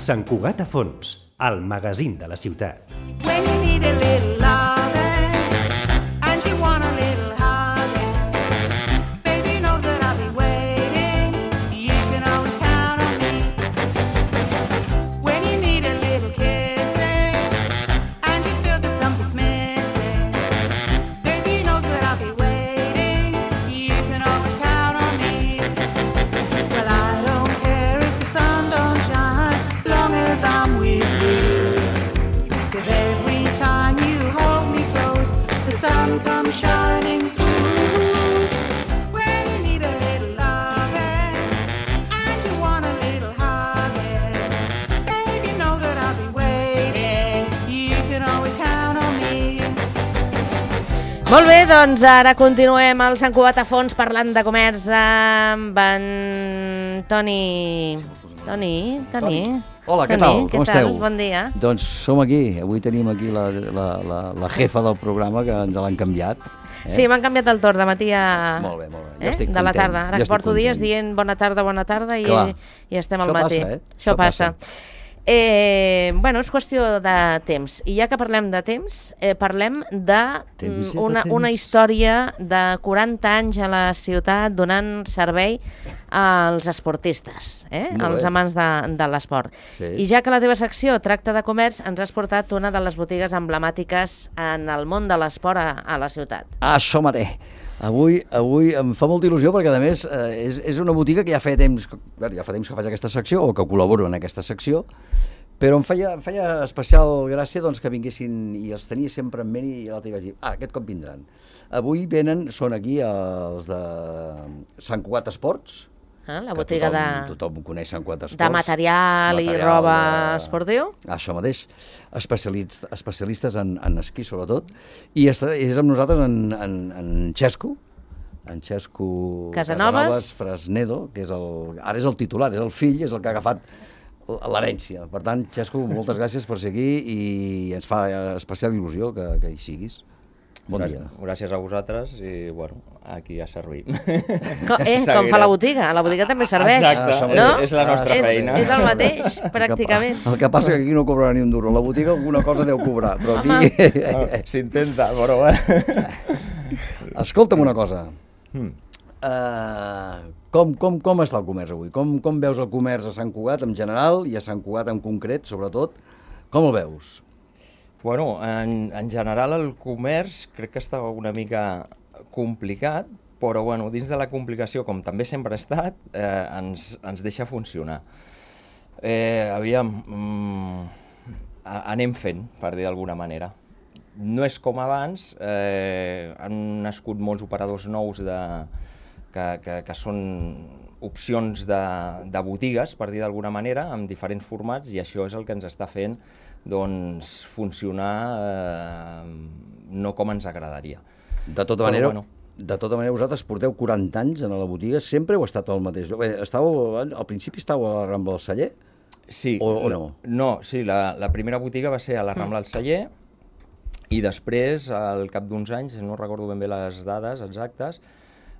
Sant Cugat a fons, el magazín de la ciutat. When you need a little loving and you want a little hugging, baby, know that I'll be waiting. You can always count on me. When you need a little kissing and you feel that something's missing, baby, know that I'll be waiting. You can always count on me. Well, I don't care if the sun don't shine, long as I'm with you. 'Cause every time you hold me close, the sun comes shining through. When you need a little loving and you want a little hugging, baby, know that I'll be waiting. You can always count on me. Molt bé, doncs ara continuem al Sant Cugat a fons parlant de comerç amb en Toni. Toni. Hola, què tal? Com esteu? Bon dia. Doncs som aquí. Avui tenim aquí la jefa del programa, que ens l'han canviat. Sí, m'han canviat el torn de matí a... Molt bé, molt bé. Jo estic de la content. tarda. Ara Jo que porto estic dies content. dient bona tarda i estem al Això matí. passa, eh? Això Això passa. passa. Bueno, és qüestió de temps. I ja que parlem de temps, parlem de Temps i de una temps. història de 40 anys a la ciutat donant servei als esportistes, Molt als bé. amants de l'esport. Sí. I ja que la teva secció tracta de comerç, ens has portat una de les botigues emblemàtiques en el món de l'esport a la ciutat. Això mateix. Avui em fa molta il·lusió perquè, a més, és una botiga que ja fa temps que faig aquesta secció, o que col·laboro en aquesta secció, però em feia especial gràcia doncs, que vinguessin, i els tenia sempre en ment, i l'altre vaig dir, aquest cop vindran. Avui són aquí els de Sant Cugat Esports, La que botiga tothom coneix Sant Cugat Esports. de material i roba esportiu. Això mateix, especialistes en esquí sobretot, i és amb nosaltres en Xesco, Casanovas Fresnedo, que ara és el titular, és el fill, és el que ha agafat l'herència. Per tant, Xesco, moltes gràcies per ser aquí i ens fa especial il·lusió que hi siguis. Bon dia. Gràcies a vosaltres i, bueno, aquí ja servim. Com fa la botiga? A la botiga també serveix. Exacte, no? és la nostra feina. És el mateix, pràcticament. El que passa que aquí no cobrarà ni un duro. A la botiga alguna cosa deu cobrar, però aquí... S'intenta, però... Escolta'm una cosa. Com està el comerç avui? Com veus el comerç a Sant Cugat en general i a Sant Cugat en concret, sobretot? Com el veus? Bueno, en general el comerç crec que està una mica complicat, però bueno, dins de la complicació, com també sempre ha estat, ens deixa funcionar. Aviam, anem fent, per dir d'alguna manera. No és com abans, han nascut molts operadors nous que són opcions de botigues, per dir d'alguna manera, amb diferents formats, i això és el que ens està fent doncs, funcionar no com ens agradaria. De tota manera, vosaltres porteu 40 anys en la botiga, sempre heu estat al mateix lloc? Al principi estàveu a la Rambla del Celler? Sí, o no? No, sí, la primera botiga va ser a la Rambla del Celler, i després, al cap d'uns anys, no recordo ben bé les dades exactes,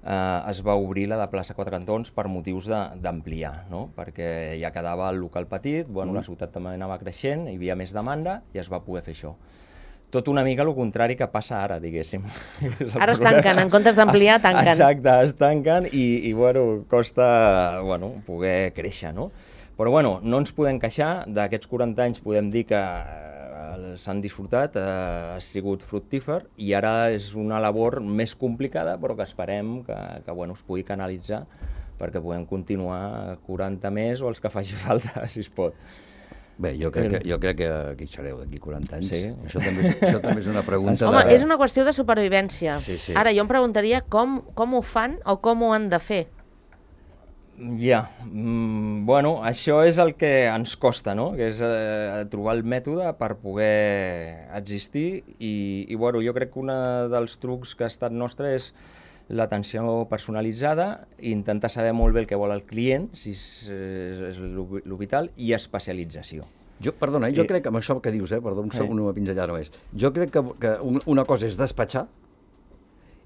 es va obrir la de plaça Quatre Cantons per motius d'ampliar, no? Perquè ja quedava el local petit, bueno, la ciutat també anava creixent, hi havia més demanda i es va poder fer això. Tot una mica el contrari que passa ara, diguéssim. Ara es tanquen, en comptes d'ampliar, tanquen. Exacte, es tanquen i bueno, costa poder créixer, no? Però bueno, no ens podem queixar, d'aquests 40 anys podem dir que s'han disfrutat, ha sigut fructífer, i ara és una labor més complicada, però que esperem que es pugui canalitzar perquè puguem continuar 40 més o els que faci falta, si es pot. Bé, jo crec que aquí sereu d'aquí 40 anys. Sí. Això també és una pregunta Home, és una qüestió de supervivència. Sí. Ara, jo em preguntaria com ho fan o com ho han de fer. Ja, bueno, això és el que ens costa, no? Que és trobar el mètode per poder existir i bueno, jo crec que un dels trucs que ha estat nostre és l'atenció personalitzada, intentar saber molt bé el que vol el client, si és el vital, i especialització. Jo crec que amb això que dius, perdó, un segon, una pinzellada només. Jo crec que una cosa és despatxar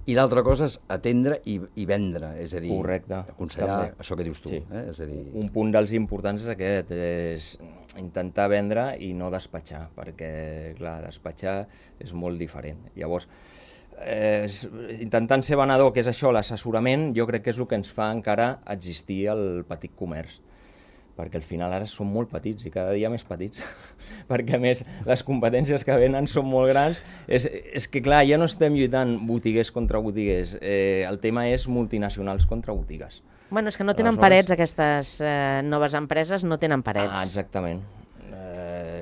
I l'altra cosa és atendre i vendre, és a dir, Correcte. aconsellar, També. això que dius tu. Sí. És a dir, Un punt dels importants és aquest, és intentar vendre i no despatxar, perquè, clar, despatxar és molt diferent. Llavors, intentant ser venedor, que és això, l'assessorament, jo crec que és el que ens fa encara existir el petit comerç, perquè al final ara som molt petits i cada dia més petits, perquè a més les competències que venen són molt grans. És que clar, ja no estem lluitant botiguers contra botiguers, el tema és multinacionals contra botigues. Bueno, és que no tenen Aleshores- parets, aquestes noves empreses no tenen parets. Ah, exactament.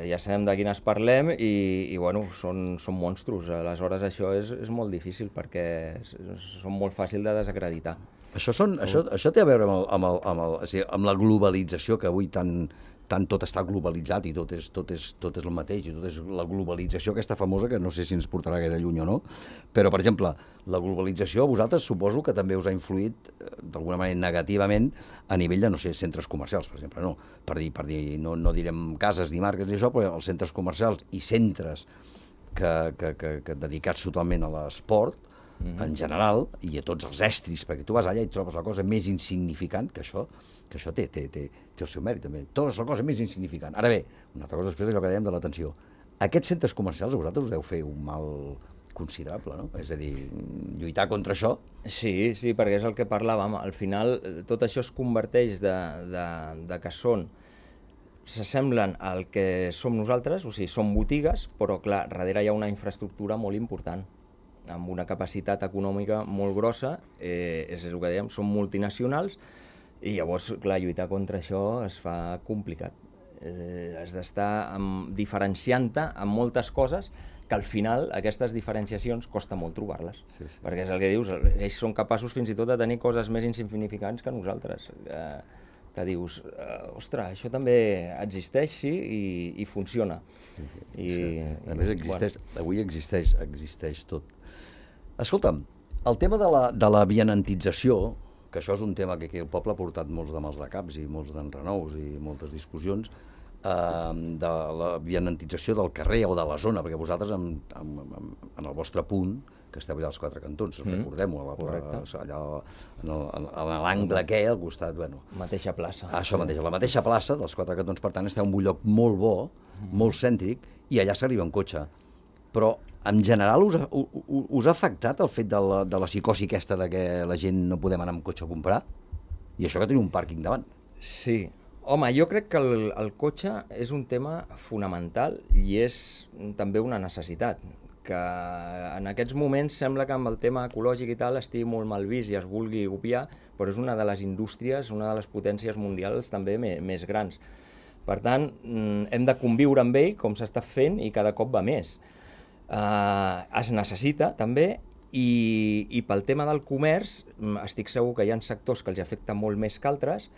Ja sabem de quines parlem i bueno, són monstros. Aleshores això és molt difícil perquè són molt fàcil de desacreditar. Això té a veure amb la globalització, que avui tant tot està globalitzat i tot és el mateix, i tot és la globalització aquesta famosa, que no sé si ens portarà gaire lluny o no, però, per exemple, la globalització a vosaltres suposo que també us ha influït d'alguna manera negativament a nivell de, no sé, centres comercials, per exemple, no? Per dir, no direm cases ni marques i això, però els centres comercials i centres que dedicats totalment a l'esport, en general, i a tots els estris, perquè tu vas allà i trobes la cosa més insignificant, que això té el seu mèrit, també. Trobes la cosa més insignificant. Ara bé, una altra cosa després allò que dèiem de l'atenció. Aquests centres comercials a vosaltres us deu fer un mal considerable, no? És a dir, lluitar contra això... Sí, perquè és el que parlàvem. Al final, tot això es converteix de que s'assemblen al que som nosaltres, o sigui, són botigues, però clar, darrere hi ha una infraestructura molt important, amb una capacitat econòmica molt grossa, és el que dèiem, són multinacionals, i llavors, clar, lluitar contra això es fa complicat. Has d'estar diferenciant-te en moltes coses que al final aquestes diferenciacions costa molt trobar-les. Sí. Perquè és el que dius, ells són capaços fins i tot de tenir coses més insignificants que nosaltres. Que dius, ostres, això també existeix, sí, i funciona. A més, avui existeix tot. Escolta'm, el tema de la vianantització, que això és un tema que aquí el poble ha portat molts de mals de caps i molts d'enrenous i moltes discussions, de la vianantització del carrer o de la zona, perquè vosaltres en el vostre punt, que esteu allà als Quatre Cantons, recordem-ho, allà a l'angle aquell, al costat, bueno... Mateixa plaça. Això mateix, a la mateixa plaça dels Quatre Cantons, per tant, esteu en un lloc molt bo, molt cèntric, i allà s'arriba en cotxe. Però, en general, us ha afectat el fet de la psicosi aquesta de que la gent no podem anar amb cotxe a comprar? I això que tenim un pàrquing davant. Sí. Home, jo crec que el cotxe és un tema fonamental i és també una necessitat, que en aquests moments sembla que amb el tema ecològic i tal estigui molt mal vist i es vulgui copiar, però és una de les indústries, una de les potències mundials també més grans. Per tant, hem de conviure amb ell, com s'està fent, i cada cop va més. Es necessita també, i pel tema del comerç estic segur que hi ha sectors que els afecten molt més que altres.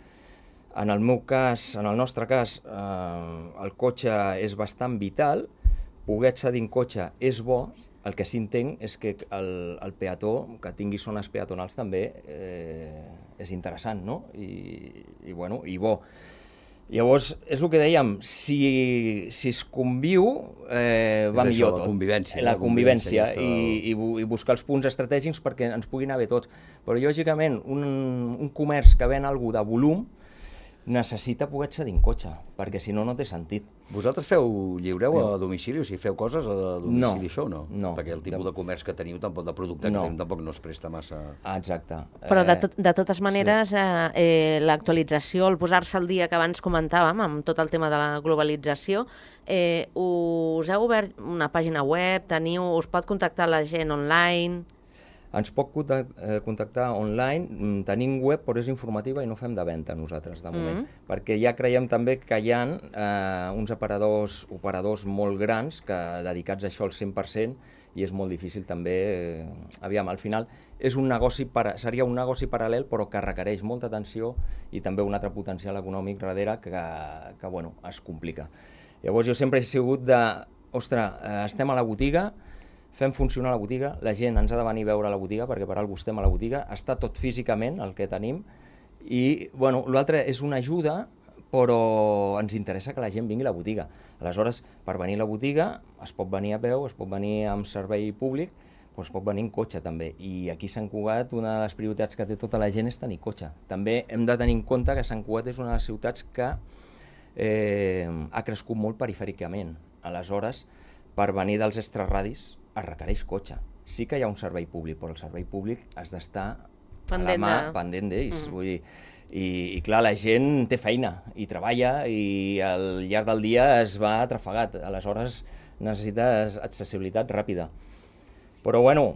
En el meu cas, en el nostre cas, el cotxe és bastant vital, poder accedir en cotxe és bo, el que sí entenc és que el peató, que tingui zones peatonals també és interessant, no? I bo. Llavors, és el que dèiem, si es conviu, va millor tot. La convivència. I buscar els punts estratègics perquè ens pugui anar bé tots. Però, lògicament, un comerç que ven alguna de volum necessita poder accedir en cotxe, perquè si no, no té sentit. Vosaltres lliureu a domicili? O sigui, feu coses a domicili, això o no? No. Perquè el tipus de comerç que teniu, tampoc de producte que teniu, tampoc no es presta massa... Exacte. Però de totes maneres, l'actualització, el posar-se al dia que abans comentàvem, amb tot el tema de la globalització, us heu obert una pàgina web, us pot contactar la gent online... Ens pot contactar online, tenim web, però és informativa i no fem de venda nosaltres, de moment. Perquè ja creiem també que hi ha uns operadors molt grans dedicats a això al 100% i és molt difícil també... Aviam, al final seria un negoci paral·lel però que requereix molta atenció i també un altre potencial econòmic darrere que bueno, es complica. Llavors jo sempre he sigut ostres, estem a la botiga, fem funcionar la botiga, la gent ens ha de venir a veure la botiga perquè per alguna cosa estem a la botiga, està tot físicament el que tenim i bueno, l'altre és una ajuda però ens interessa que la gent vingui a la botiga. Aleshores, per venir a la botiga es pot venir a peu, es pot venir amb servei públic, però es pot venir en cotxe també. I aquí a Sant Cugat una de les prioritats que té tota la gent és tenir cotxe. També hem de tenir en compte que Sant Cugat és una de les ciutats que ha crescut molt perifèricament. Aleshores, per venir dels extraradis es requereix cotxe. Sí que hi ha un servei públic, però el servei públic has d'estar a la mà pendent d'ells. Vull dir, i clar, la gent té feina i treballa i al llarg del dia es va atrafegat. Aleshores necessites accessibilitat ràpida. Però bueno,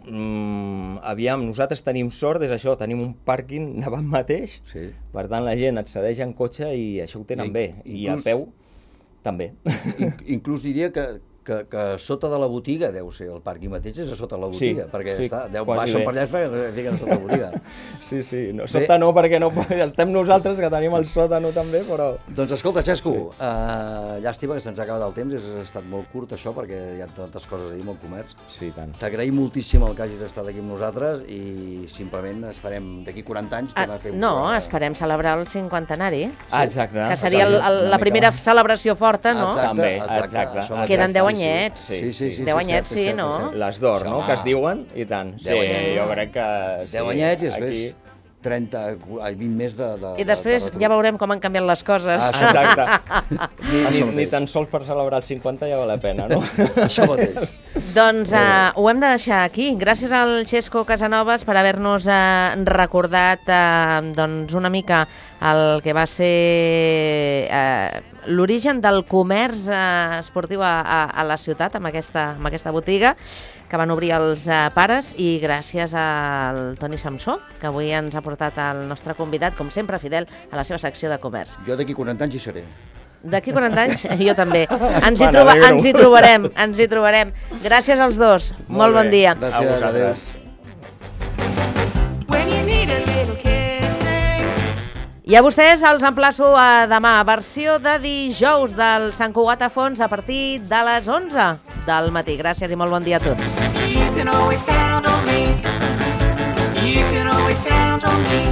aviam, nosaltres tenim sort, és això, tenim un pàrquing davant mateix, per tant la gent accedeix en cotxe i això ho tenen bé, i a peu també. Inclús diria que sota de la botiga deu ser el pàrquing mateix, és a sota de la botiga, perquè baixen per allà i fiquen a sota la botiga. Sí, sota no, perquè no estem nosaltres, que tenim el sòtano també, però... Doncs escolta, Xesco, llàstima que se'ns ha acabat el temps, ha estat molt curt això, perquè hi ha tantes coses a dir amb el comerç. Sí, tant. T'agraïm moltíssim el que hagis estat aquí amb nosaltres i simplement esperem d'aquí 40 anys tornar a fer un programa. No, esperem celebrar el 50anari. Exacte. Que seria la primera celebració forta, no? També, exacte. Queden 10 anyets. Sí. 10 anyets, sí, no? Les d'or, no?, que es diuen, i tant. Sí, jo crec que... 10 anyets i després 20 més de... I després ja veurem com han canviat les coses. Exacte. Ni tan sols per celebrar el 50 ja val la pena, no? Això mateix. Doncs ho hem de deixar aquí. Gràcies al Xesco Casanovas per haver-nos recordat una mica el que va ser l'origen del comerç esportiu a la ciutat, amb aquesta botiga que van obrir els pares, i gràcies al Toni Samsó, que avui ens ha portat el nostre convidat, com sempre fidel a la seva secció de comerç. Jo d'aquí 40 anys hi seré. D'aquí 40 anys, jo també. Ens hi trobarem. Gràcies als dos. Molt bon dia. Gràcies, adéu. I a vostès els emplaço a demà, versió de dijous del Sant Cugat a Fons a partir de les 11 del matí. Gràcies i molt bon dia a tots. You can always count on me. You can always count on me.